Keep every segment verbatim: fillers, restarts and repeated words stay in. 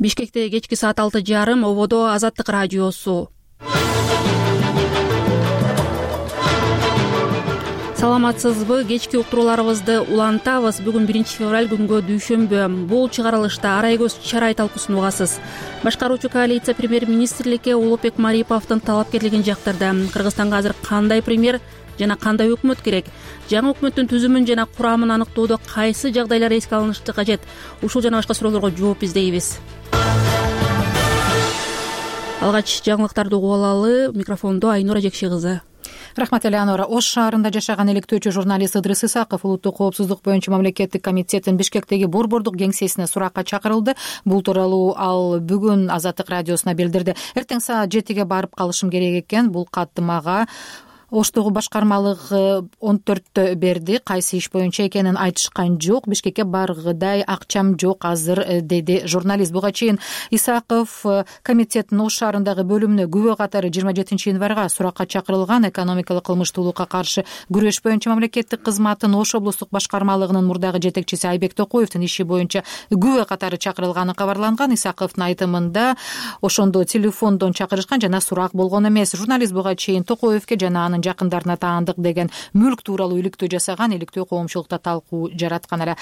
Бишкекте кечки саат алты жарым ободо Азаттык радиосу. Саламатсызбы? Кечки уктурууларыбызды улантабыз. Бүгүн биринчи февраль күнгө дүйшөмбү. Бул чыгарылышта арай көз чарай талкуусун угасыз. Башкаруучу коалиция премьер-министрликке Улукбек Мариповдун талапкерлигин жактырды. Кыргызстанга азыр кандай премьер жана кандай өкмөт керек? Жаңы өкмөттүн түзүмүн жана курамын аныктоодо кайсы жагдайлар эске алынышы кажет? Ушул жана башка суроолорго жооп издейбиз. Алгач жаңылыктарды угуп алалы. Микрофондо Айнура Жекши кызы. Рахмат Элеонора. Ош шаарында жашаган иликтөөчү журналист Ыдрыс Исаков улуттук коопсуздук боюнча мамлекеттик комитеттин Бишкектеги борбордук кеңсесине суракка чакырылды. Бул тууралуу ал бүгүн Азаттык радиосуна билдирди. Эртең саат жетиге барып калышым керек экен. Бул катты мага Оштогу башкармалык он төрттө берди. Кайсы иш боюнча экенин айтышкан жок. Бишкекке баргыдай акчам жок азыр, деди журналист. Буга чейин Исаков комитеттин Ош шаарындагы бөлүмүнө күбө катары жыйырма жетинчи январга суракка чакырылган. Экономикалык кылмыштуулукка каршы күрөш боюнча мамлекеттик кызматтын Ош облустук башкармалыгынын мурдагы жетекчиси Айбек Токоевдин иши боюнча күбө катары чакырылганы кабарланган. Исаковдун айтымында ошондо телефондон чакырышкан жана сурак болгон эмес. Журналист буга чейин Токоевке жана анын жакындарына таандык деген мүлк тууралуу иликтөө жасаган, иликтөө коомчулукта талкуу жараткан эле.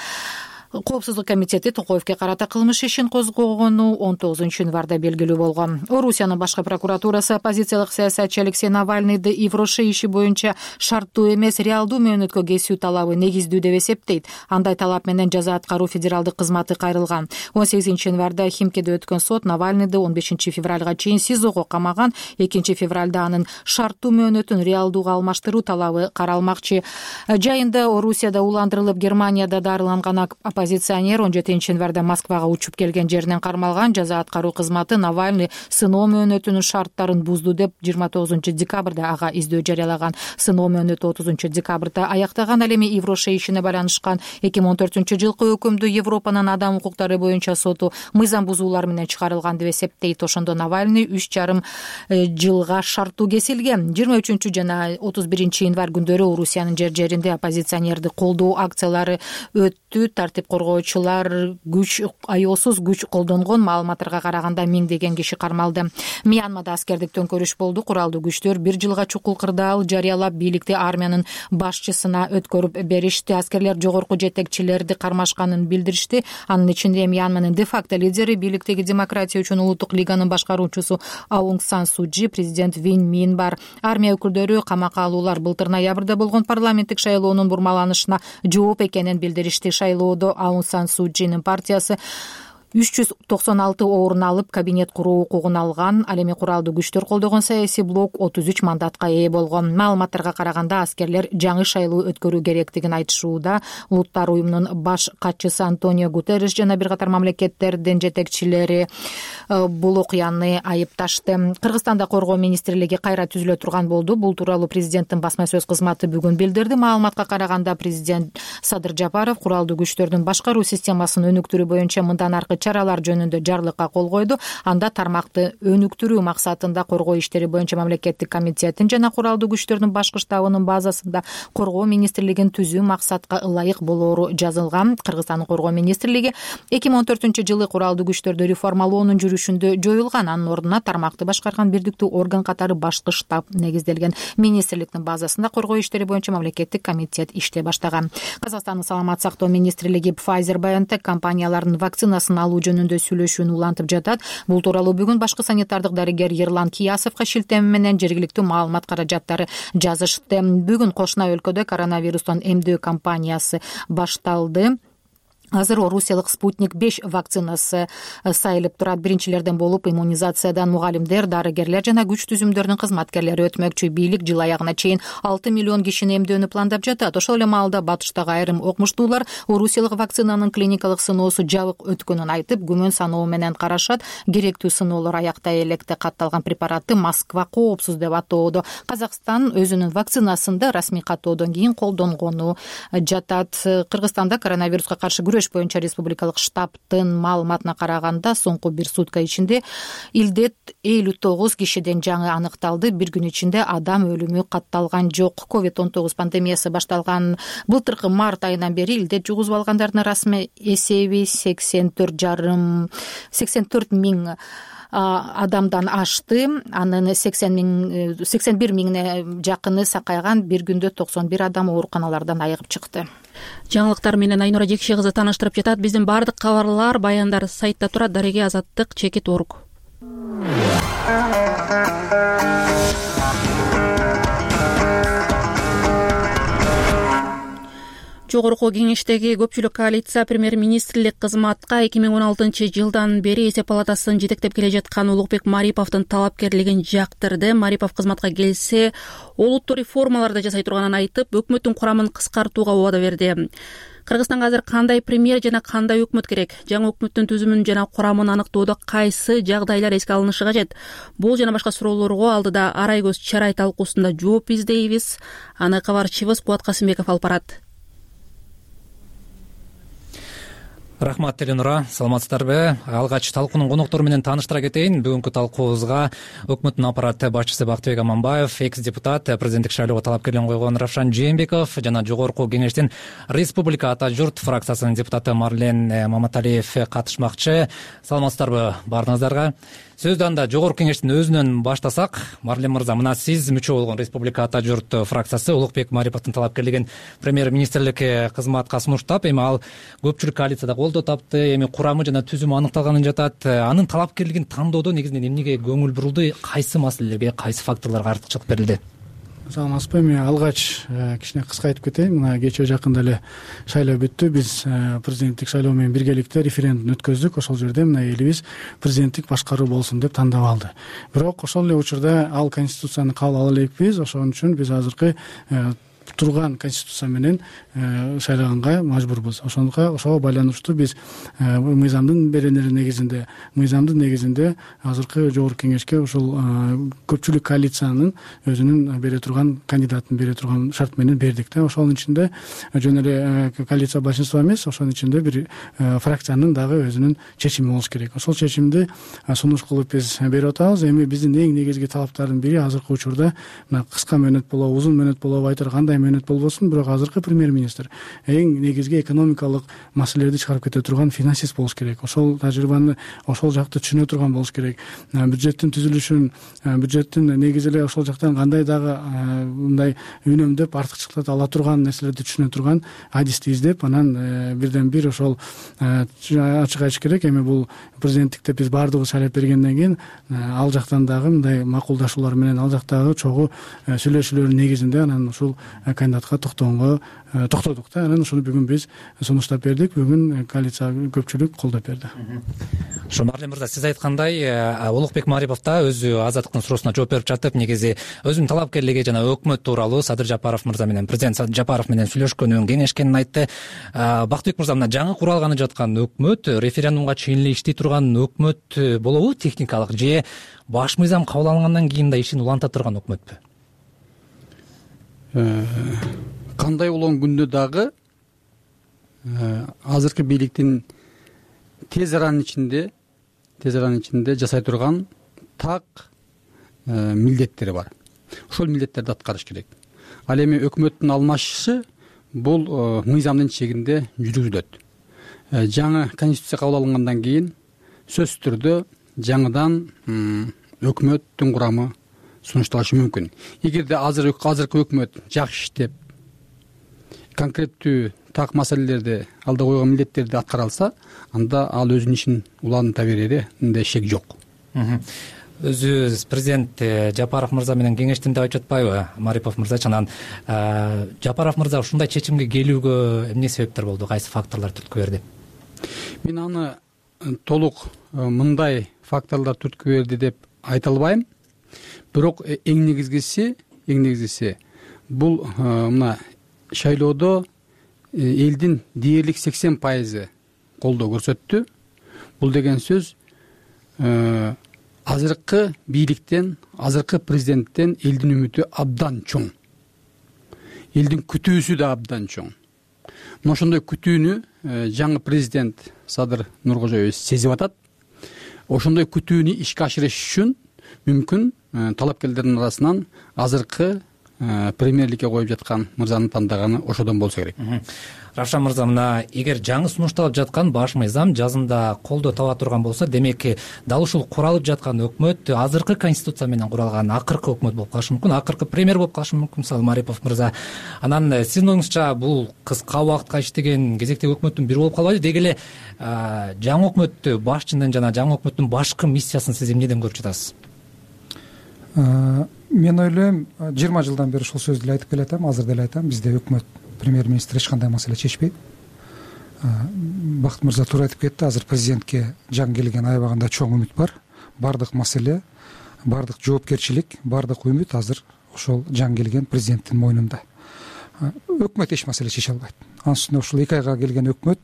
Коопсуздук комитети Токоевке карата кылмыш ишин козгогону он тогузунчу январда белгилүү болгон. Орусиянын башкы прокуратурасы оппозициялык саясатчы Алексей Навальныйды Ивроше иши боюнча шарттуу эмес, реалдуу мөөнөткө кесүү талабы негиздүү деп эсептейт. Андай талап менен жаза аткаруу федералдык кызматы кайрылган. он сегизинчи январда Химкеде өткөн сот Навальныйды он бешинчи февралга чейин СИЗОго камаган. экинчи февралда анын шарттуу мөөнөтүн реалдууга алмаштыруу талабы каралмакчы. Жайында Орусияда уландырылып, Германияда дарыланган оппозиционер он жетинчи январда Москвага учуп келген жеринен кармалган. Жаза аткаруу кызматы Навальный сыноо мөөнөтүнүн шарттарын бузду деп жыйырма тогузунчу декабрда ага издөө жарыялаган. Сыноо мөөнөтү отузунчу декабрда аяктаган. Ал эми Ивроше ишине байланышкан эки миң он төртүнчү жылкы өкүмдү Европанын адам укуктары боюнча соту мыйзам бузуулар менен чыгарылган деп эсептейт. Ошондо Навальный үч жарым жылга шарттуу кесилген. жыйырма үчүнчү жана отуз биринчи январь күндөрү Орусиянын жер жеринде оппозиционерди колдоо акциялары өттү. Тартип коргоочулар күч аеосуз күч колдонгон. Маалыматтарга караганда миңдеген киши кармалды. Мьянмада аскердик төңкөрүш болду. Куралдуу күчтөр бир жылга чукул кырдаал жарыялап, бийликти армиянын башчысына өткөрүп беришти. Аскерлер жогорку жетекчилерди кармашканын билдиришти. Анын ичинде Мьянманын де-факто лидери, бийликтеги демократия үчүн улуттук лиганын башкаруучусу Аунг Сан Су Чжи, президент Вин Мин бар. Армия өкүлдөрү камакка алуулар былтыр ноябрда болгон парламенттик шайлоонун бурмаланышына жооп экенин билдиришти. Шайлоодо Аунг Сан Су Чжинин партиясы үч жүз токсон алты орун алып, кабинет куруу укугун алган. Ал эми куралдуу күчтөр колдогон саясий блок отуз үч мандатка ээ болгон. Маалыматтарга караганда аскерлер жаңы шайлоо өткөрүү керектигин айтышууда. Улуттар уюмунун баш катчысы Антонио Гутерриш жана бир катар мамлекеттердин жетекчилери бул окуяны айыпташты. Кыргызстанда коргоо министрлиги кайра түзүлө турган болду. Бул тууралуу президенттин басма сөз кызматы бүгүн билдирди. Маалыматка караганда президент Садыр Жапаров куралдуу күчтөрдүн башкаруу системасын өнүктүрүү боюнча мындан аркы чаралар жөнүндө жарлыкка кол койду. Анда тармакты өнүктүрүү максатында коргоо иштери боюнча мамлекеттик комитеттин жана куралдуу күчтөрдүн башкы штабынын базасында коргоо министрлигин түзүү максатка ылайык болоору жазылган. Кыргызстандын коргоо министрлиги эки миң он төртүнчү жылы куралдуу күчтөрдү реформалоонун жүрүшүндө жоюлган. Анын ордуна тармакты башкарган бирдиктүү орган катары башкы штаб негизделген. Министрликтин базасында коргоо иштери боюнча мамлекеттик комитет иштей баштаган. Казакстандын саламат сактоо министрлиги Pfizer-BioNTech компанияларынын вакцинасын алуу жөнүндө сүйлөшүүнү улантып жатат. Бул тууралуу бүгүн башкы санитардык дарыгер Ерлан Киясовго шилтеме менен жергиликтүү маалымат каражаттары жазышты. Бүгүн кошуна өлкөдө коронавирустан эмдөө кампаниясы башталды. Азыр Орусиялык Спутник беш вакцинасы сайылып турат. Биринчилерден болуп иммунизациядан мугалимдер, дарыгерлер жана күч түзүмдөрүнүн кызматкерлери өтмөкчү. Бийлик жыл аягына чейин алты миллион кишини эмдөөнү пландап жатат. Ошол эле маалда батыштагы айрым окумуштуулар Орусиялык вакцинанын клиникалык сыноосу жабык өткөнүн айтып, күмөн саноо менен карашат. Керектүү сыноолор аяктай электе катталган препаратты Москва коопсуз деп атоодо. Казакстан өзүнүн вакцинасында расмий каттоодон кийин колдонгону жатат. Кыргызстанда коронавируска каршы күрөш күрөш боюнча республикалык штабтын маалыматына караганда соңку бир сутка ичинде илдет элүү тогуз кишиден жаңы аныкталды. Бир күн ичинде адам өлүмү катталган жок. ковид он тогуз пандемиясы башталган былтыркы март айынан бери илдет жугузуп алгандардын расмий эсеби сексен төрт жарым сексен төрт миң адамдан ашты. Анын сексен миң сексен бир миңине жакыны сакайган. Бир күндө токсон бир адам ооруканалардан айыгып чыкты. Жаңылыктар менен Айнура Жекше кызы тааныштырып жатат. Биздин баардык кабарлар, баяндар сайтта турат. Дареге азаттык чекит орг. Жогорку кеңештеги көпчүлүк коалиция премьер-министрлик кызматка эки миң он алтынчы жылдан бери эсеп палатасын жетектеп келе жаткан Улукбек Мариповдун талапкерлигин жактырды. Марипов кызматка келсе, олуттуу реформаларды жасай турганын айтып, өкмөттүн курамын кыскартууга убада берди. Кыргызстанга азыр кандай премьер жана кандай өкмөт керек? Жаңы өкмөттүн түзүмүн жана курамын аныктоодо кайсы жагдайлар эске алынышы кажет? Бул жана башка суроолорго алдыда арай көз чарай талкуусунда жооп издейбиз. Аны кабарчыбыз Кубат Касымбеков алып барат. Рахмат, Эленура. Саламатсыздарбы? Алгач талкуунун коноктору менен тааныштыра кетейин. Бүгүнкү талкуубузга өкмөттүн аппарат башчысы Бактыбек Аманбаев, экс-депутат, президенттик шайлоого талапкерлигин койгон Равшан Жээнбеков жана Жогорку кеңештин Республика Ата журт фракциясынын депутаты Марлен Маматалиев катышмакчы. Саламатсыздарбы баарыңыздарга? Сөздү анда Жогорку кеңештин өзүнөн баштасак, Марлен мырза, мына сиз мүчө болгон Республика Ата журт фракциясы Улукбек Мариповдун талапкерлигин премьер-министрликке кызматка сунуштап, эми ал көпчүлүк коалицияда колдоо тапты, эми курамы жана түзүмү аныкталганын жатат. Анын талапкерлигин тандоодо негизинен эмнеге көңүл бурулду, кайсы маселелерге, кайсы факторлорго артыкчылык берилди? Саламатсызбы? Мен алгач кичине кыска айтып кетейин. Мына кечээ жакында эле шайлоо бүттү. Биз президенттик шайлоо менен биргеликте референдум өткөздүк. Ошол жерде мына элибиз президенттик башкаруу болсун деп тандап алды. Бирок ошол эле учурда ал конституцияны кабыл ала элекпиз. Ошон үчүн биз азыркы турган конституция менен шайлаганга мажбурбуз. Ошонго ошого байланыштуу биз мыйзамдын беренелери негизинде, мыйзамдын негизинде азыркы жогорку кеңешке ушул көпчүлүк коалициянын өзүнүн бере турган кандидатын бере турган шарт менен бердик да. Ошонун ичинде жөн эле коалиция большинство эмес, ошонун ичинде бир фракциянын дагы өзүнүн чечими болуш керек. Ошол чечимди сунуш кылып биз берип атабыз. Эми биздин эң негизги талаптардын бири азыркы учурда мына кыска мөөнөт болобу, узун мөөнөт болобу айтар кандай мөөнөт болбосун, бирок азыркы премьер-министр эң негизги экономикалык маселелерди чыгарып кете турган финансист болуш керек. Ошол тажрыйбаны ошол жакты түшүнө турган болуш керек. Бюджеттин түзүлүшүн, бюджеттин негизи эле ошол жактан кандай дагы мындай үнөмдөп артыкчылыктарды ала турган нерселерди түшүнө турган адисти издеп, анан бирден бир ошол ачык айтыш керек. Эми бул президенттикте биз баардыгыбыз шайлап бергенден кийин ал жактан дагы мындай макулдашуулар менен, ал жактагы чогуу сүйлөшүүлөрдүн негизинде анан ушул кандидатка токтогонго токтодук да. Анан ошону бүгүн биз сунуштап бердик. Бүгүн коалиция көпчүлүк колдоп берди. Ошо Марлен мырза, сиз айткандай, Улукбек Марипов да өзү азаттыктын суроосуна жооп берип жатып, негизи өзүнүн талапкерлиги жана өкмөт тууралуу Садыр Жапаров мырза менен, президент Садыр Жапаров менен сүйлөшкөнүн, кеңешкенин айтты. Бактыбек мырза, мына жаңы куралганы жаткан өкмөт, референдумга чейин эле иштей турган өкмөт болобу, техникалык же баш мыйзам кабыл алынгандан кийин да ишин уланта турган өкмөтпү? Кандай болгон күндө дагы азыркы бийликтин тез аранын ичинде тез аранын ичинде жасай турган так милдеттери бар. Ошол милдеттерди аткарыш керек. Ал эми өкмөттүн алмашышы бул мыйзамдын чегинде жүргүзүлөт. Жаңы конституция кабыл алынгандан кийин сөзсүз түрдө жаңыдан өкмөттүн курамы сунушталышы мүмкүн. Эгерде азыр азыркы өкмөт жакшы иштеп, конкреттүү так маселелерди, алда койгон милдеттерди аткара алса, анда ал өзүнүн ишин уланта береринде шек жок. Өзү президент Жапаров мырза менен кеңештим деп айтып жатпайбы Марипов мырза? Анан Жапаров мырза ушундай чечимге келүүгө эмне себептер болду, кайсы факторлор түрткү берди? Мен аны толук мындай факторлор түрткү берди деп айта албайм. Бирок эң негизгиси, эң негизгиси бул мына шайлоодо элдин дээрлик сексен пайызы колдоо көрсөттү. Бул деген сөз азыркы бийликтен, азыркы президенттен элдин үмүтү абдан чоң. Элдин күтүүсү да абдан чоң. мына ошондой күтүүнү жаңы президент Садыр Нуркожоевич сезип атат. Ошондой күтүүнү ишке ашырыш үчүн мүмкүн талапкерлердин арасынан азыркы премьерликке коюп жаткан мырзаны тандаганы ошодон болсо керек. Равшан мырза, мына эгер жаңы сунушталып жаткан баш мыйзам жазында колдоо таба турган болсо, демек дал ушул куралып жаткан өкмөт азыркы конституция менен куралган акыркы өкмөт болуп калышы мүмкүн, акыркы премьер болуп калышы мүмкүн, мисалы Марипов мырза. Анан сиздин оюңузча бул кыска убакытка иштеген кезектеги өкмөттүн бири болуп калбайбы? Деги эле жаңы өкмөттү башчынын жана жаңы өкмөттүн башкы миссиясын сиз эмнеден көрүп жатасыз? Мен ойлойм, жыйырма жылдан бери ушул сөздү айтып келатам, азыр деле айтам, бизде өкмөт, премьер-министр эч кандай маселе чечпейт. Бакыт мырза туура айтып кетти, азыр президентке жаңы келген аябаганда чоң үмүт бар. Бардык маселе, бардык жоопкерчилик, бардык үмүт азыр ошол жаңы келген президенттин мойнунда. Өкмөт эч маселе чече албайт. Анын үстүнө ушул эки айга келген өкмөт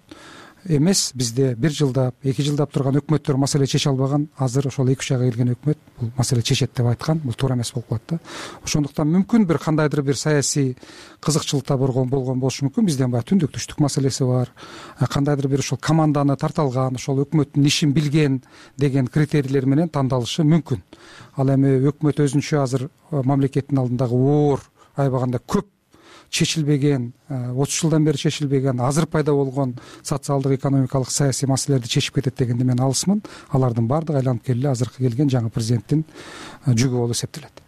эмес, бизде бир жылдап, эки жылдап турган өкмөттөр маселе чече албаган, азыр ошол эки үч айга келген өкмөт бул маселе чечет деп айткан, бул туура эмес болуп калат да. Ошондуктан мүмкүн бир кандайдыр бир саясий кызыкчылыкта болгон болгон болушу мүмкүн. Бизден баягы түндүк түштүк маселеси бар, кандайдыр бир ошол команданы тарта алган, ошол өкмөттүн ишин билген деген критерийлер менен тандалышы мүмкүн. Ал эми өкмөт өзүнчө азыр мамлекеттин алдындагы оор, аябаганда көп чечилбеген, отуз жылдан бери чечилбеген, азыр пайда болгон социалдык, экономикалык, саясий маселелерди чечип кетет дегенде мен алысмын. Алардын баардыгы айланып келе азыркы келген жаңы президенттин жүгү болуп эсептелет.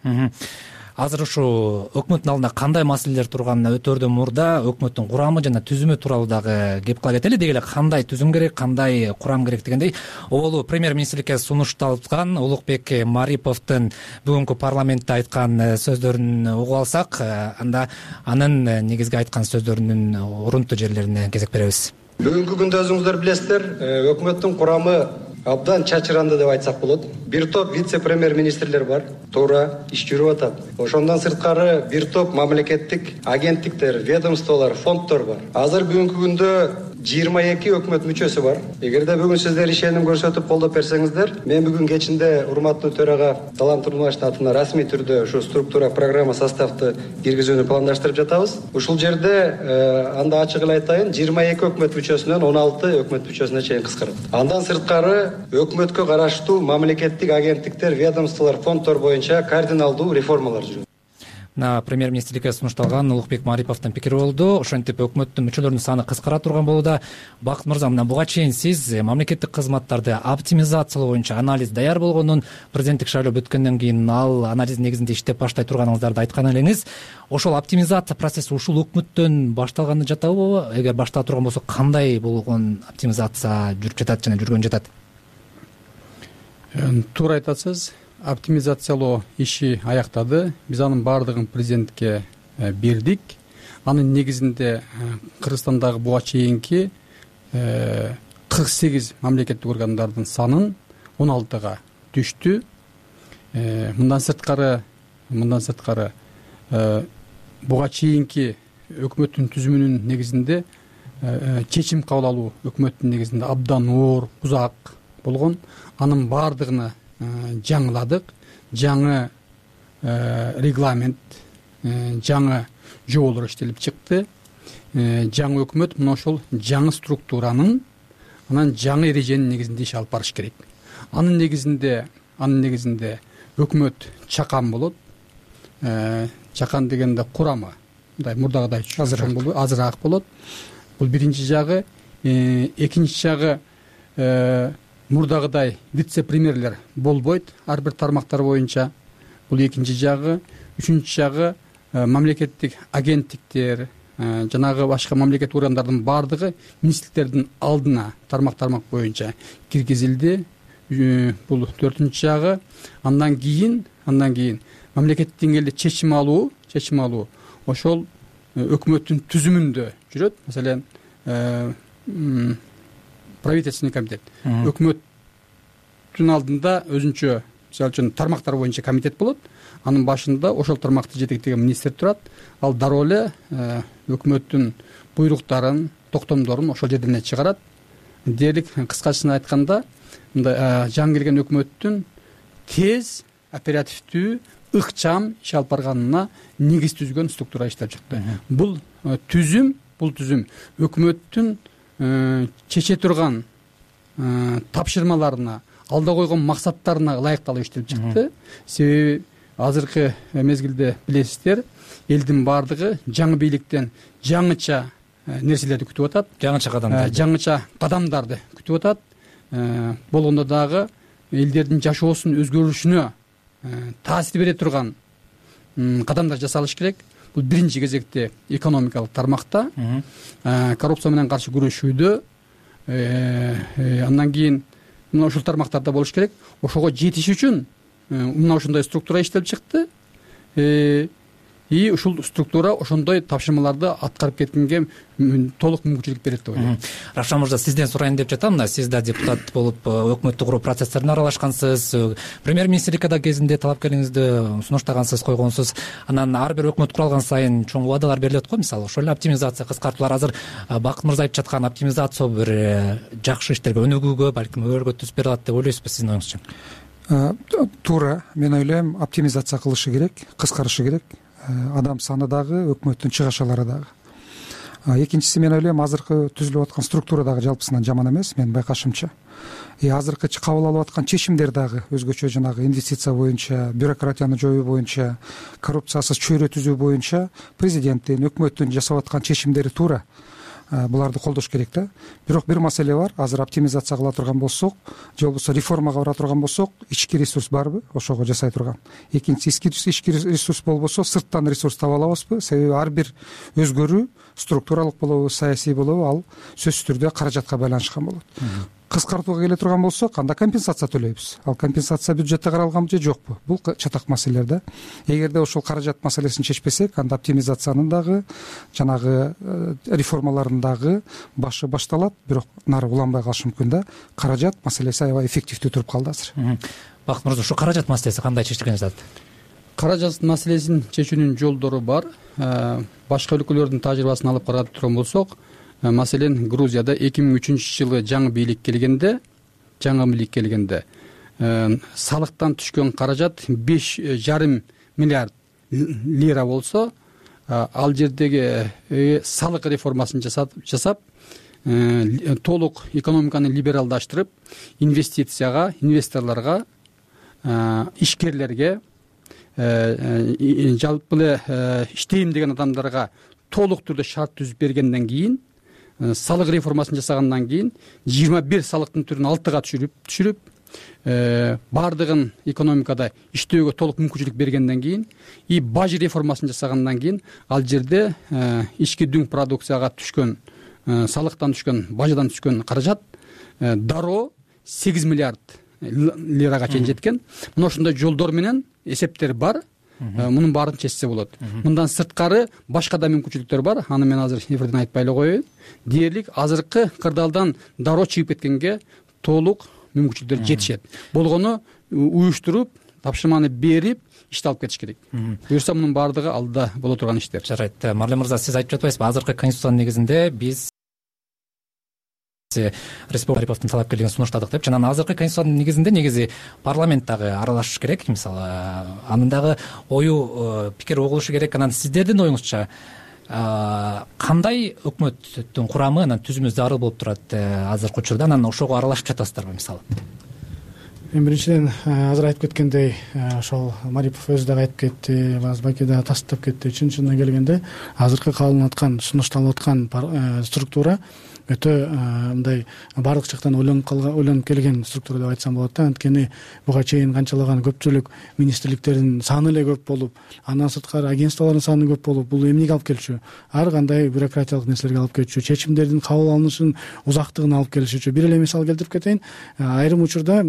Азыр ушул өкмөттүн алдында кандай маселелер турганына өтөрдөн мурда өкмөттүн курамы жана түзүмү тууралуу дагы кеп кыла кетели. Деги эле кандай түзүм керек, кандай курам керек дегендей, оболу премьер-министрликке сунушталган Улукбек Мариповдун бүгүнкү парламентте айткан сөздөрүн угуп алсак, анда анын негизги айткан сөздөрүнүн урунтуу жерлерине кезек беребиз. Бүгүнкү күндө өзүңүздөр билесиздер, өкмөттүн курамы абдан чачыранды деп айтсак болот. Бир топ вице-премьер-министрлер бар, туура иш жүрүп атат. Ошондон сырткары бир топ мамлекеттик агенттиктер, ведомстволор, фонддор бар. Азыр бүгүнкү күндө жыйырма эки өкмөт мүчөсү бар. Эгерде бүгүн сиздер ишеним көрсөтүп колдоп берсеңиздер, мен бүгүн кечинде урматтуу төрага Талант Турмашевдин атына расмий түрдө ушу структура, программа, составты киргизүүнү пландаштырып жатабыз. Ушул жерде анда ачык эле айтайын, жыйырма эки өкмөт мүчөсүнөн он алты өкмөт мүчөсүнө чейин кыскарат. Андан сырткары өкмөткө караштуу мамлекеттик агенттиктер, ведомстволор, фонддор боюнча кардиналдуу реформалар жүрөт. Мына премьер-министрликке сунушталган Улукбек Мариповдун пикири болду. Ошентип өкмөттүн мүчөлөрүнүн саны кыскара турган болууда. Бакыт мырза, мына буга чейин сиз мамлекеттик кызматтарды оптимизациялоо боюнча анализ даяр болгонун, президенттик шайлоо бүткөндөн кийин ал анализдин негизинде иштеп баштай турганыңыздарды айткан элеңиз. Ошол оптимизация процесси ушул өкмөттөн башталганы жатабы? Эгер баштала турган болсо, кандай болгон оптимизация жүрүп жатат жана жүргөн жатат? Туура айтасыз. Оптимизациялоо иши аяктады. Биз анын баардыгын президентке бердик. Анын негизинде Кыргызстандагы буга чейинки кырк сегиз мамлекеттик органдардын санын он алтыга түштү. Мындан сырткары, мындан сырткары буга чейинки өкмөттүн түзүмүнүн негизинде чечим кабыл алуу өкмөттүн негизинде абдан оор, узак болгон. Анын баардыгына жаңыладык, жаңы регламент, жаңы жоболор иштелип чыкты. Жаңы өкмөт мына ошол жаңы структуранын, анан жаңы эреженин негизинде иш алып барыш керек. Анын негизинде, анын негизинде өкмөт чакан болот. Чакан дегенде курамы мындай мурдагыдай чоң болбой, азыраак болот. Бул биринчи жагы. Экинчи жагы, мурдагыдай вице-премьерлер болбойт ар бир тармактар боюнча. Бул экинчи жагы. Үчүнчү жагы, мамлекеттик агенттиктер, жанагы башка мамлекеттик органдардын баардыгы министрликтердин алдына тармак-тармак боюнча киргизилди. Бул төртүнчү жагы. Андан кийин, андан кийин мамлекеттик деңгээлде чечим алуу, чечим алуу ошол өкмөттүн түзүмүндө жүрөт. Маселен, правительственный комитет. Өкмөттүн алдында өзүнчө, мисалы үчүн, тармактар боюнча комитет болот. Анын башында ошол тармакты жетектеген министр турат. Ал дароо эле өкмөттүн буйруктарын, токтомдорун ошол жерден чыгарат. Дээрлик кыскачасына айтканда, мындай жаңы келген өкмөттүн тез, оперативдүү, ыкчам иш алып барганына негиз түзгөн структура иштеп чыкты. Бул түзүм бул түзүм өкмөттүн чече турган тапшырмаларына, алда койгон максаттарына ылайыкталып иштелип чыкты. Себеби азыркы мезгилде билесиздер, элдин баардыгы жаңы бийликтен жаңыча нерселерди күтүп атат, жаңыча кадамдар жаңыча кадамдарды күтүп атат. Болгондо дагы элдердин жашоосунун өзгөрүшүнө таасир бере турган кадамдар жасалыш керек. Бул биринчи кезекте экономикалык тармакта коррупция менен каршы күрөшүүдө, андан кийин мына ушул тармактарда болуш керек. Ошого жетиш үчүн мына ушундай структура иштелип чыкты. И ушул структура ошондой тапшырмаларды аткарып кеткенге толук мүмкүнчүлүк берет деп ойлойм. Равшан мырза, сизден сурайын деп жатам. Мына сиз да депутат болуп өкмөттү куруу процесстерине аралашкансыз, премьер-министрликке да кезинде талапкериңизди сунуштагансыз, койгонсуз. Анан ар бир өкмөт куралган сайын чоң убадалар берилет го. Мисалы ошол эле оптимизация, кыскартуулар. Азыр Бакыт мырза айтып жаткан оптимизация бир жакшы иштерге өнүгүүгө, балким өргө түз бере алат деп ойлойсузбу сиздин оюңузча? Туура, мен ойлойм, оптимизация кылышы керек, кыскарышы керек. Адам саны дагы, өкмөттүн чыгашалары дагы. Экинчиси, мен ойлойм, азыркы түзүлүп аткан структура дагы жалпысынан жаман эмес, менин байкашымча. И азыркы кабыл алып аткан чечимдер дагы өзгөчө, жанагы инвестиция боюнча, бюрократияны жоюу боюнча, коррупциясыз чөйрө түзүү боюнча президенттин, өкмөттүн жасап аткан чечимдери туура. Буларды колдош керек да. Бирок бир маселе бар. Азыр оптимизация кыла турган болсок, же болбосо реформага бара турган болсок, ички ресурс барбы ошого жасай турган? Экинчиси, ички ресурс болбосо, сырттан ресурс таба алабызбы? Себеби ар бир өзгөрүү структуралык болобу, саясий болобу, ал сөзсүз түрдө каражатка байланышкан болот. Кыскартууга келе турган болсок, анда компенсация төлөйбүз. Ал компенсация бюджетте каралганбы же жокпу? Бул чатак маселелер да. Эгерде ошол каражат маселесин чечпесек, анда оптимизациянын дагы, жанагы реформалардын дагы башы башталат, бирок нары уланбай калышы мүмкүн да. Каражат маселеси аябай эффективдүү туруп калды азыр. Бакыт мырза, ушу каражат маселеси кандай чечилгени жатат? Каражат маселесин чечүүнүн жолдору бар. Башка өлкөлөрдүн тажрыйбасын алып карап турган болсок, маселен, Грузияда эки миң үчүнчү жылы жаңы бийлик келгенде, жаңы бийлик келгенде салыктан түшкөн каражат беш жарым миллиард лира болсо, ал жердеги салык реформасын жасап, толук экономиканы либералдаштырып, инвестицияга, инвесторлорго, ишкерлерге, жалпы эле иштейм деген адамдарга толук түрдө шарт түзүп бергенден кийин, салык реформасын жасагандан кийин жыйырма бир салыктын түрүн алтыга түшүрүп түшүрүп баардыгын экономикада иштөөгө толук мүмкүнчүлүк бергенден кийин и баж реформасын жасагандан кийин ал жерде ички дүң продукцияга түшкөн салыктан түшкөн, баждан түшкөн каражат дароо сегиз миллиард лирага чейин жеткен. Мына ушундай жолдор менен эсептер бар. Мунун баарын чечсе болот. Мындан сырткары башка да мүмкүнчүлүктөр бар. Аны мен азыр эфирден айтпай эле коеюн. Дээрлик азыркы кырдаалдан дароо чыгып кеткенге толук мүмкүнчүлүктөр жетишет. Болгону уюштуруп, тапшырманы берип, ишти алып кетиш керек. Буюрса мунун баардыгы алда боло турган иштер. Жарайт. Марлен мырза, сиз айтып жатпайсызбы, азыркы конституциянын негизинде биз республикалыктын талапкерлигин сунуштадык деп. Жана азыркы конституциянын негизинде негизи парламент дагы аралашыш керек. Мисалы, анын дагы ою, пикир угулушу керек. Анан сиздердин оюңузча кандай өкмөттүн курамы, анан түзүмү зарыл болуп турат азыркы учурда? Анан ошого аралашып жатасыздарбы мисалы? Эми биринчиден азыр айтып кеткендей, ошол Марипов өзү дагы айтып кетти, Базбаки дагы тастап кетти. Чын чынына келгенде азыркы кабылып аткан, сунушталып аткан структура өтө мындай баардык жактан ойлонуп калган, ойлонуп келген структура деп айтсам болот да. Анткени буга чейин канчалаган көпчүлүк министрликтердин саны эле көп болуп, андан сырткары агентстволордун саны көп болуп, бул эмнеге алып келчү? Ар кандай бюрократиялык нерселерге алып келчү, чечимдердин кабыл алынышынын узактыгын алып келишичү. Бир эле мисал келтирип кетейин. Айрым учурда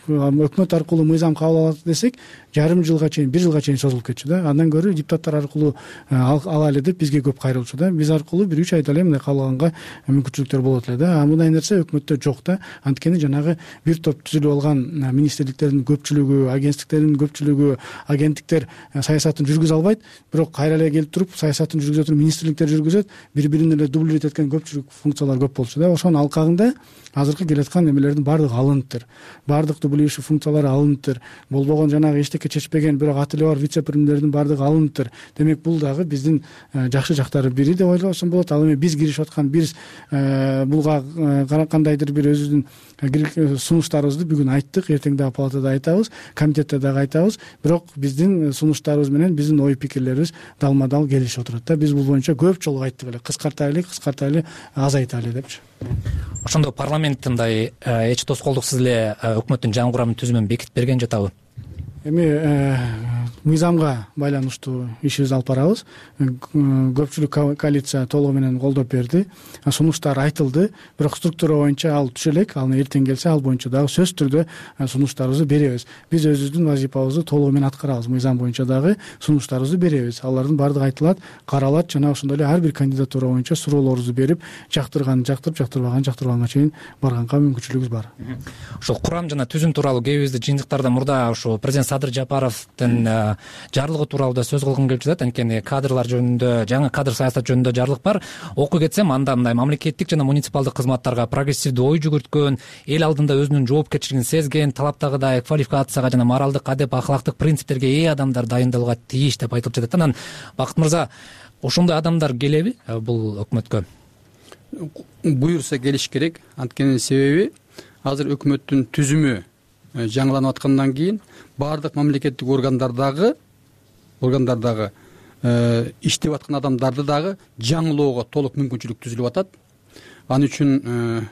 өкмөт аркылуу мыйзам кабыл алат десек, жарым жылга чейин, бир жылга чейин созулуп кетчү да. Андан көрө депутаттар аркылуу алалы деп бизге көп кайрылчу да. Биз аркылуу бир үч айда эле мындай кабыл алганга мүмкүнчүлүктөр болот эле да. А мындай нерсе өкмөттө жок да. Анткени жанагы бир топ түзүлүп алган министрликтердин көпчүлүгү, агенттиктердин көпчүлүгү, агенттиктер саясатын жүргүзө албайт, бирок кайра эле келип туруп саясатын жүргүзө туруп министрликтер жүргүзөт, бири-бирин эле дублировать эткен көпчүлүк функциялар көп болчу да. Ошонун алкагында азыркы келаткан эмелердин баардыгы алыныптыр. Баардык регулирующий функциялары алыныптыр. Болбогон жанагы эчтеке чечпеген бирок аты эле бар вице премьердин баардыгы алыныптыр. Демек бул дагы биздин жакшы жактары бири деп ойлосом болот. Ал эми биз киришип аткан биз булга кандайдыр бир өзүбүздүн сунуштарыбызды бүгүн айттык, эртең дагы палатада айтабыз, комитетте дагы айтабыз. Бирок биздин сунуштарыбыз менен биздин ой пикирлерибиз далма дал келишип отурат да. Биз бул боюнча көп жолу айттык эле, кыскартайлы кыскартайлы азайтайлы депчи. Ошондо парламент мындай эч тоскоолдуксуз эле өкмөттүн жаңы курамын түзүмүн бекитип берген жатабы? Эми мыйзамга байланыштуу ишибизди алып барабыз. Көпчүлүк коалиция толугу менен колдоп берди. Сунуштар айтылды, бирок структура боюнча ал түшө элек. Ал эртең келсе ал боюнча дагы сөзсүз түрдө сунуштарыбызды беребиз. Биз өзүбүздүн вазифабызды толугу менен аткарабыз. Мыйзам боюнча дагы сунуштарыбызды беребиз. Алардын баардыгы айтылат, каралат, жана ошондой эле ар бир кандидатура боюнча суроолорубузду берип, жактырган жактырып, жактырбаган жактырбаганга чейин барганга мүмкүнчүлүгүбүз бар. Ошол курам жана түзүм тууралуу кээбизде жыйынтыктарда мурда ошо президент Садыр Жапаровдун жарлыгы тууралуу да сөз кылгым келип жатат. Анткени кадрлар жөнүндө, жаңы кадр саясат жөнүндө жарлык бар. Окуй кетсем, анда мындай мамлекеттик жана муниципалдык кызматтарга прогрессивдүү ой жүгүрткөн, эл алдында өзүнүн жоопкерчилигин сезген, талаптагыдай квалификацияга жана моралдык, адеп, ахлактык принциптерге ээ адамдар дайындалууга тийиш деп айтылып жатат. Анан Бакыт мырза, ошондой адамдар келеби бул өкмөткө? Буюрса келиш керек. Анткени себеби азыр өкмөттүн түзүмү жаңыланып аткандан кийин баардык мамлекеттик органдардагы органдардагы иштеп аткан адамдарды дагы жаңылоого толук мүмкүнчүлүк түзүлүп атат. Ал үчүн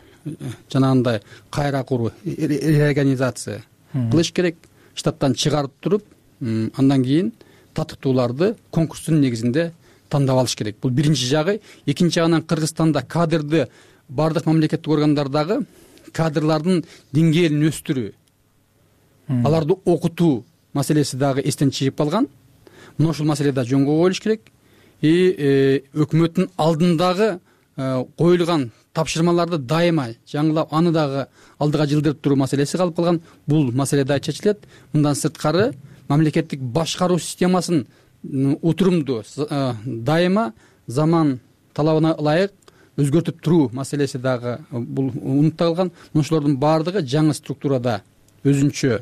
жанагындай кайра куруу, реорганизация кылыш керек. Штаттан чыгарып туруп, андан кийин татыктууларды конкурстун негизинде тандап алыш керек. Бул биринчи жагы. Экинчи жагынан Кыргызстанда кадрды баардык мамлекеттик органдардагы кадрлардын деңгээлин өстүрүү, аларды окутуу маселеси дагы эстен чыгып калган. Мына ушул маселе да жөнгө коюлуш керек. И өкмөттүн алдындагы коюлган тапшырмаларды дайыма жаңылап, аны дагы алдыга жылдырып туруу маселеси калып калган. Бул маселе да чечилет. Мындан сырткары мамлекеттик башкаруу системасын утурумдуу, дайыма заман талабына ылайык өзгөртүп туруу маселеси дагы бул унутталган. Ошолордун баардыгы жаңы структурада өзүнчө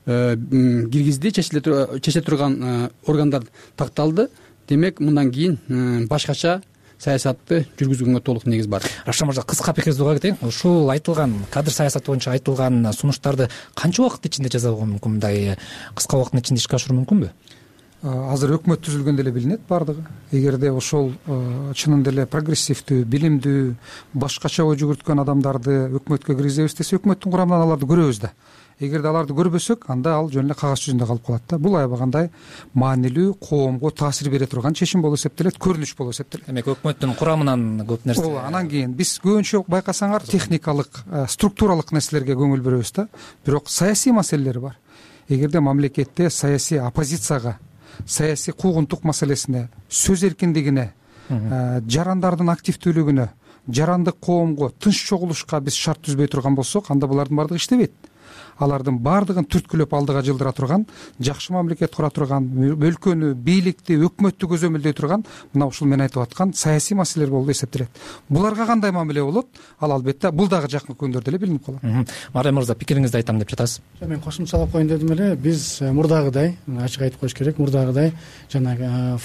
киргизди, чече турган органдар такталды. Демек, мындан кийин башкача саясатты жүргүзгөнгө толук негиз бар. Рашан мырза, кыска пикириңизди уга кетейин. Ушул айтылган кадр саясаты боюнча айтылган сунуштарды канча убакыт ичинде жасоого мүмкүн? Мындай кыска убакыттын ичинде ишке ашыруу мүмкүнбү? Азыр өкмөт түзүлгөндө эле билинет баардыгы. Эгерде ошол чынында эле прогрессивдүү, билимдүү, башкача ой жүгүрткөн адамдарды өкмөткө киргизебиз десе, өкмөттүн курамынан аларды көрөбүз да. Эгерде аларды көрбөсөк, анда ал жөн эле кагаз жүзүндө калып калат да. Бул аябагандай маанилүү, коомго таасир бере турган чечим болуп эсептелет, көрүнүш болуп эсептелет. Демек, өкмөттүн курамынан көп нерсе. Ооба, анан кийин биз көбүнчө байкасаңар техникалык, структуралык нерселерге көңүл бөлөбүз да. Бирок саясий маселелер бар. Эгерде мамлекетте саясий оппозицияга, саясий куугунтук маселесине, сөз эркиндигине, жарандардын активдүүлүгүнө, жарандык коомго тынч чогулушка биз шарт түзбөй турган болсок, анда булардын баардыгы иштебейт. Алардын баардыгын түрткүлөп алдыга жылдыра турган, жакшы мамлекет кура турган, өлкөнү, бийликти, өкмөттү көзөмөлдөй турган мына ушул мен айтып аткан саясий маселелер болуп эсептелет. Буларга кандай мамиле болот? Ал албетте бул дагы жакын күндөрдө эле билинип калат. Марем мырза, пикириңизди айтам деп жатасыз. Мен кошумчалап коеюн дедим эле. Биз мурдагыдай, ачык айтып коюш керек, мурдагыдай жанагы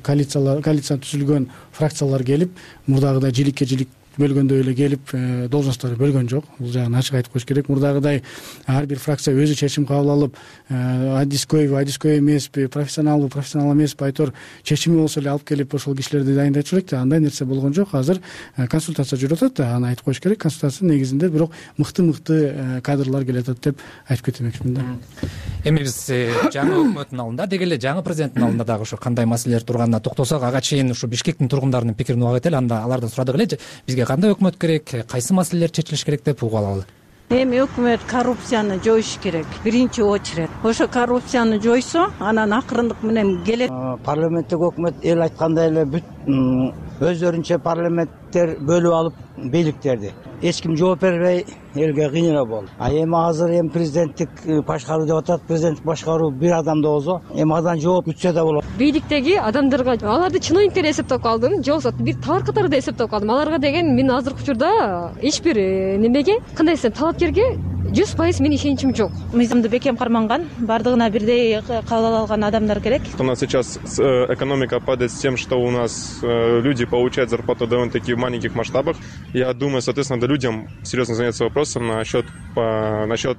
коалициялар, коалицияны түзүлгөн фракциялар келип, мурдагыдай жиликке жилик бөлгөндөй эле келип должностторду бөлгөн жок. Бул жагын ачык айтып коюш керек. Мурдагыдай ар бир фракция өзү чечим кабыл алып, адискойбу, адиской эмеспи, профессионалбы, профессионал эмеспи, айтор чечими болсо эле алып келип ошол кишилерди дайындайт элек да. Андай нерсе болгон жок. Азыр консультация жүрүп атат да, аны айтып коюш керек. Консультациянын негизинде бирок мыкты-мыкты кадрлар келатат деп айтып кетмекчимин да. Эми биз жаңы өкмөттүн алдында, деги эле жаңы президенттин алдында дагы ошо кандай маселелер турганына токтолсок, ага чейин ушу Бишкектин тургундарынын пикирин уга кетели. Анда алардан сурадык эле, бизге кандай өкмөт керек, кайсы маселелер чечилиш керек деп угуп алалы. Эми өкмөт коррупцияны жоюш керек. Биринчи очередь. Ошо коррупцияны жойсо, анан акырындык менен келет. Парламенттик өкмөт эл айткандай эле бүт өздөрүнчө парламенттер бөлүп алып бийликтерди. Эч ким жооп бербей элге кыйноо болду. А эми азыр эми президенттик башкаруу деп атат. Президенттик башкаруу бир адамда болсо, эми адан жооп күтсө да болот. Бийликтеги адамдарга аларды чыныгы эсептеп калдым, же болбосо бир тар катарда эсептеп калдым. Аларга деген мен азыркы учурда эч бир немеге, кандай десем, талапкерге жүз пайыз менин ишеничим жок. Мыйзамды бекем карманган, бардыгына бирдей кабыл алган адамдар керек. У нас сейчас экономика падает с тем, что у нас люди получают зарплату довольно-таки в маленьких масштабах. Я думаю, соответственно, надо людям серьезно заняться вопросом насчет по насчет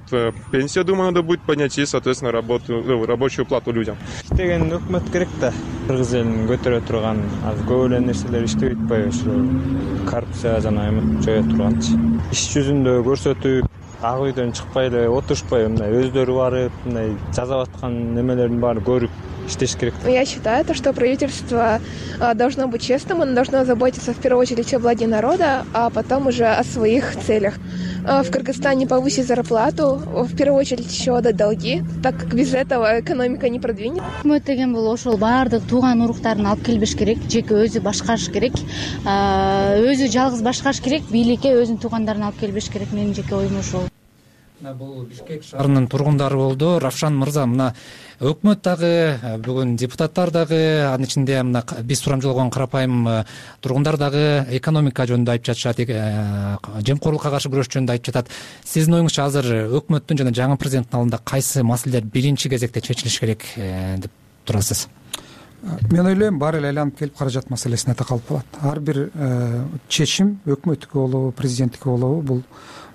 пенсии. Я думаю, надо будет поднять и, соответственно, работу рабочую плату людям. Иштеген өкмөт керек да. Кыргыз элин көтөрө турган көп эле нерселер иштебей атпайбы, ушу коррупция жана эме жое турганчы. Иш жүзүндө көрсөтүп, ак үйдөн чыкпай эле отурушпай, мындай өздөрү барып, мындай жазап аткан немелердин баарын көрүп иштеш керек. Я считаю, что правительство должно быть честным, оно должно заботиться в первую очередь о благе народа, а потом уже о своих целях. В Кыргызстане повысить зарплату, в первую очередь еще отдать долги, так как без этого экономика не продвинет. Өкмөт деген бул ошол баардык тууган уруктарын алып келбеш керек, жеке өзү башкарыш керек, өзү жалгыз башкарыш керек, бийликке өзүнүн туугандарын алып келбеш керек. Менин жеке оюм ошол. Бул Бишкек шаарынын тургундары болду. Равшан мырза, мына өкмөт дагы, бүгүн депутаттар дагы, анын ичинде мына биз сурамжылган карапайым тургундар дагы экономика жөнүндө айтып жатышат, жемкорлукка каршы күрөш жөнүндө айтып жатат. Сиздин оюңузча азыр өкмөттүн жана жаңы президенттин алдында кайсы маселелер биринчи кезекте чечилиш керек деп турасыз? Мен ойлойм, баары эле айланып келип каражат маселесине такалып калат. Ар бир чечим өкмөттүкү болобу, президенттики болобу, бул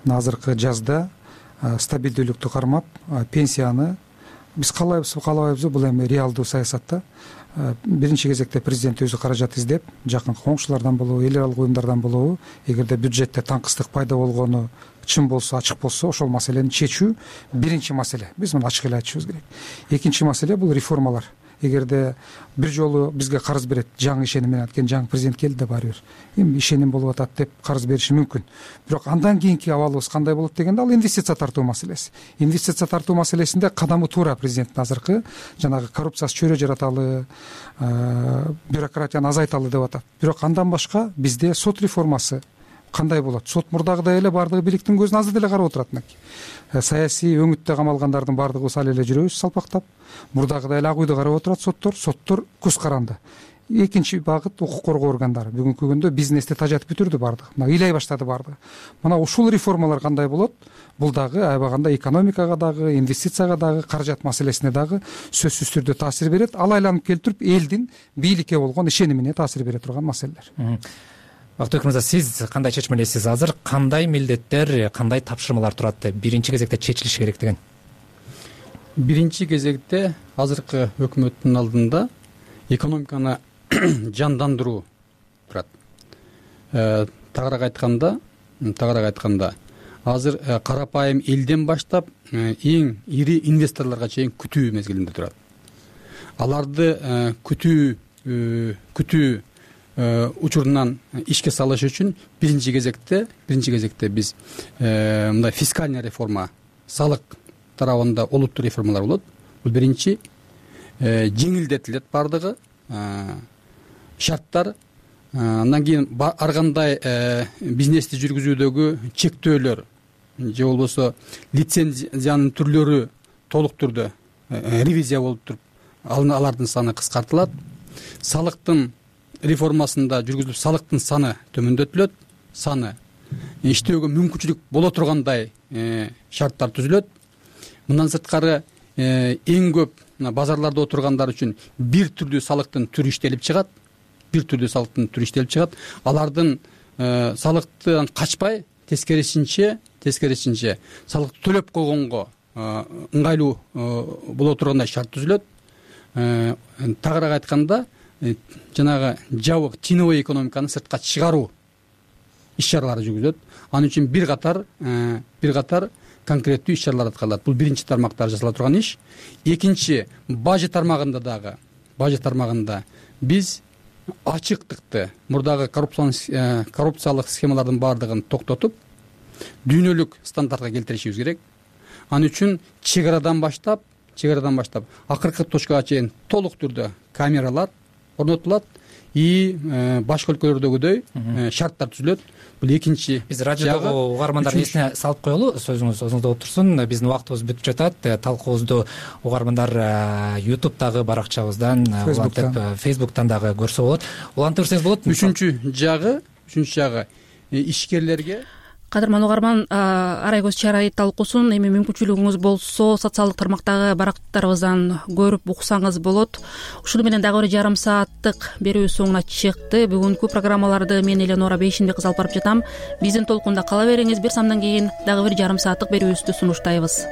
азыркы жазда стабилдүүлүктү кармап, пенсияны биз каалайбызбы, каалабайбызбы, бул эми реалдуу саясатта биринчи кезекте президент өзү каражат издеп, жакынкы коңшулардан болобу, эл аралык уюмдардан болобу, эгерде бюджетте таңкыстык пайда болгону чын болсо, ачык болсо, ошол маселени чечүү биринчи маселе. Биз муну ачык эле айтышыбыз керек. Экинчи маселе бул реформалар. Эгерде бир жолу бизге карыз берет, жаңы ишеним менен анткени жаңы президент келди да баары бир эми ишеним болуп атат деп карыз бериши мүмкүн. Бирок андан кийинки абалыбыз кандай болот дегенде, ал инвестиция тартуу маселеси. Инвестиция тартуу маселесинде кадамы туура президенттин азыркы жанагы коррупциясы чөйрө жараталы, бюрократияны азайталы деп атат. Бирок андан башка бизде сот реформасы кандай болот? Сот мурдагыдай эле баардыгы бийликтин көзүн азыр деле карап отурат. Саясий өңүттө камалгандардын баардыгыбыз ал эле жүрөбүз салпактап, мурдагыдай эле ак үйдө карап отурат соттор, соттор көз каранды. Экинчи багыт укук коргоо органдары. Бүгүнкү күндө бизнести тажатып бүтүрдү баардыгы. Мына ыйлай баштады баардыгы. Мына ушул реформалар кандай болот? Бул дагы аябаганда экономикага дагы, инвестицияга дагы, каражат маселесине дагы сөзсүз түрдө таасир берет. Ал айланып келип туруп элдин бийликке болгон ишенимине таасир бере турган маселелер. Бактыбек мырза, сиз кандай чечмелейсиз? Азыр кандай милдеттер, кандай тапшырмалар турат биринчи кезекте чечилиши керек деген? Биринчи кезекте азыркы өкмөттүн алдында экономиканы жандандыруу турат. Тагыраак айтканда, тагыраак айтканда, азыр карапайым элден баштап эң ири инвесторлорго чейин күтүү мезгилинде турат. Аларды күтүү күтүү учурунан ишке салыш үчүн биринчи кезекте биринчи кезекте биз мындай фискальный реформа, салык тарабында олуттуу реформалар болот. Бул биринчи, жеңилдетилет бардыгы шарттар. Андан кийин ар кандай бизнести жүргүзүүдөгү чектөөлөр же болбосо лицензиянын түрлөрү толук түрдө ревизия болуп туруп, алардын саны кыскартылат. Салыктын реформасында жүргүзүлүп, салыктын саны төмөндөтүлөт, саны иштөөгө мүмкүнчүлүк боло тургандай шарттар түзүлөт. Мындан сырткары эң көп базарларда отургандар үчүн бир түрдүү салыктын түрү иштелип чыгат, бир түрдүү салыктын түрү иштелип чыгат. Алардын салыктан качпай, тескерисинче, тескерисинче салыкты төлөп койгонго ыңгайлуу боло тургандай шарт түзүлөт. Тагыраак айтканда, жанагы жабык теневой экономиканы сыртка чыгаруу иш чаралары жүргүзүлөт. Анын үчүн бир катар бир катар конкреттүү иш чаралар аткарылат. Бул биринчи тармактар жасала турган иш. Экинчи, бажы тармагында дагы, бажы тармагында биз ачыктыкты, мурдагы коррупциялык схемалардын баардыгын токтотуп, дүйнөлүк стандартка келтиришибиз керек. Анын үчүн чек арадан баштап, чек арадан баштап акыркы точкага чейин толук түрдө камералар орнотулат и башка өлкөлөрдөгүдөй шарттар түзүлөт. Бул экинчи. Биз радиодогу угармандардын эсине салып коелу, сөзүңүз өзүңүздө отурсун. Биздин убактыбыз бүтүп жатат. Талкуубузду угармандар ютубтагы баракчабыздан, улантып фейсбуктан дагы көрсө болот. Улантып берсеңиз болот. Үчүнчү жагы, үчүнчү жагы ишкерлерге кадырман угарман, арай көз чарай талкуусун эми мүмкүнчүлүгүңүз болсо социалдык тармактагы барактарыбыздан көрүп уксаңыз болот. Ушуну менен дагы бир жарым сааттык берүү соңуна чыкты. Бүгүнкү программаларды мен Эленора Бейшинбек кызы алып барып жатам. Биздин толкунда кала бериңиз. Бир самдан кийин дагы бир жарым сааттык берүүбүздү сунуштайбыз.